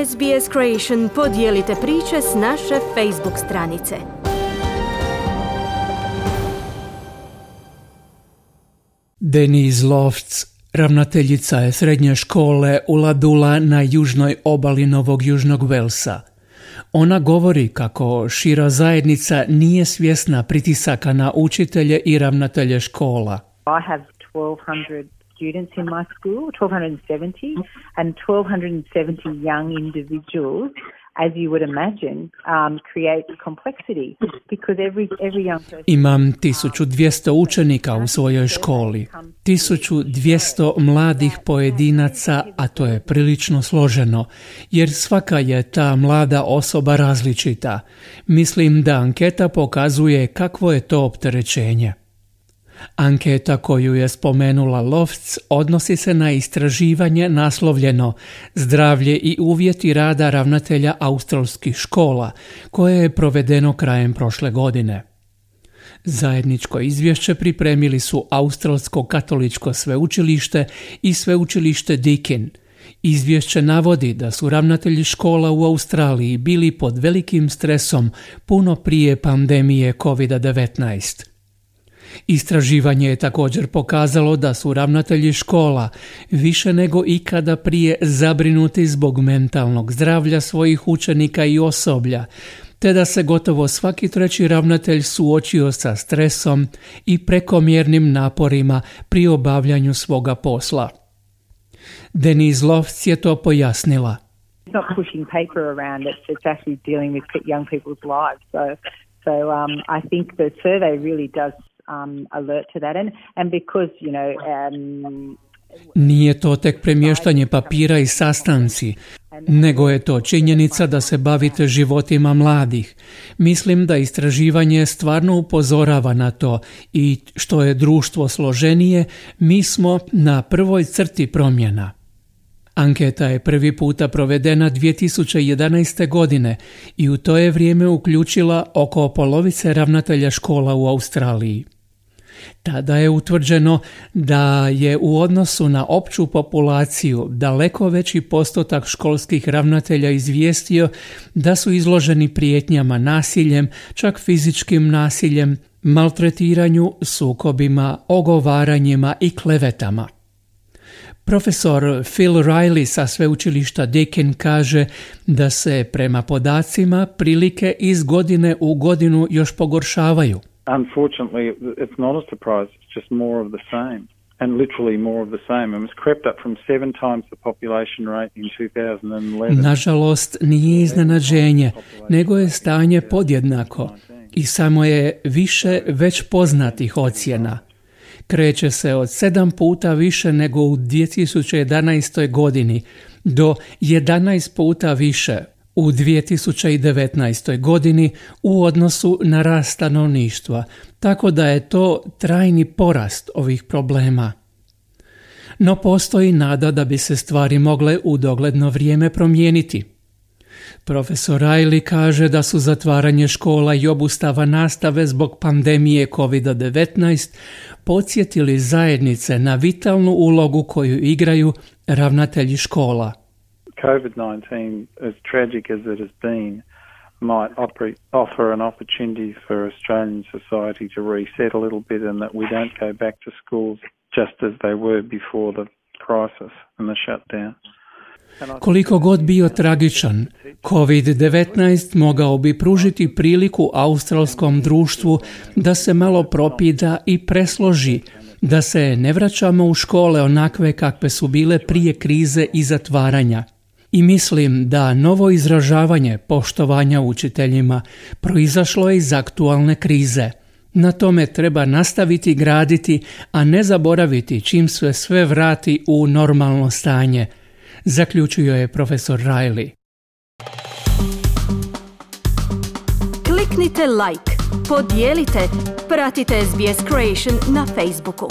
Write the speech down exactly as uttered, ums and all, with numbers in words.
S B S Creation podijelite priče s naše Facebook stranice. Denise Lofts, ravnateljica je srednje škole Ulladulla na južnoj obali Novog Južnog Velsa. Ona govori kako šira zajednica nije svjesna pritisaka na učitelje i ravnatelje škola. I have twelve hundred students in my school, twelve seventy, and twelve seventy young individuals, as you would imagine, um, create complexity because every every young person... Imam tisuću dvjesto učenika u svojoj školi, tisuću dvjesto mladih pojedinaca, a to je prilično složeno, jer svaka je ta mlada osoba različita. Mislim da anketa pokazuje kakvo je to opterećenje. Anketa koju je spomenula Lofts odnosi se na istraživanje naslovljeno Zdravlje i uvjeti rada ravnatelja australskih škola, koje je provedeno krajem prošle godine. Zajedničko izvješće pripremili su Australsko katoličko sveučilište i sveučilište Deakin. Izvješće navodi da su ravnatelji škola u Australiji bili pod velikim stresom puno prije pandemije kovid devetnaest. Istraživanje je također pokazalo da su ravnatelji škola više nego ikada prije zabrinuti zbog mentalnog zdravlja svojih učenika i osoblja, te da se gotovo svaki treći ravnatelj suočio sa stresom i prekomjernim naporima pri obavljanju svoga posla. Denise Lofts je to pojasnila. It's not pushing paper around, it's, it's actually dealing with young people's lives. So, so um, I think the survey really does Um, alert to that and, and because, you know, um, Nije to tek premještanje papira i sastanci, nego je to činjenica da se bavite životima mladih. Mislim da istraživanje stvarno upozorava na to i što je društvo složenije, mi smo na prvoj crti promjena. Anketa je prvi puta provedena dvije tisuće jedanaeste. godine i u to je vrijeme uključila oko polovice ravnatelja škola u Australiji. Tada je utvrđeno da je u odnosu na opću populaciju daleko veći postotak školskih ravnatelja izvijestio da su izloženi prijetnjama nasiljem, čak fizičkim nasiljem, maltretiranju, sukobima, ogovaranjima i klevetama. Profesor Phil Riley sa sveučilišta Deakin kaže da se prema podacima prilike iz godine u godinu još pogoršavaju. Unfortunately, it's not a surprise, it's just more of the same, and literally more of the same. And it's crept up from seven times the population rate in two thousand eleven. Nažalost, nije iznenađenje, nego je stanje podjednako i samo je više već poznatih ocjena. Kreće se od sedam puta više nego u dvije tisuće jedanaestoj. godini do jedanaest puta više u dvije tisuće devetnaestoj. godini u odnosu na rast stanovništva, tako da je to trajni porast ovih problema. No postoji nada da bi se stvari mogle u dogledno vrijeme promijeniti. Profesor Riley kaže da su zatvaranje škola i obustava nastave zbog pandemije kovid devetnaest podsjetili zajednice na vitalnu ulogu koju igraju ravnatelji škola. covid nineteen, as tragic as it has been, might offer an opportunity for Australian society to reset a little bit and that we don't go back to schools just as they were before the crisis and the shutdown. Koliko god bio tragičan, kovid devetnaest mogao bi pružiti priliku australskom društvu da se malo propida i presloži, da se ne vraćamo u škole onakve kakve su bile prije krize i zatvaranja. I mislim da novo izražavanje poštovanja učiteljima proizašlo je iz aktualne krize. Na tome treba nastaviti graditi, a ne zaboraviti čim se sve vrati u normalno stanje, zaključio je profesor Riley. Kliknite like, podijelite, pratite S B S Creation na Facebooku.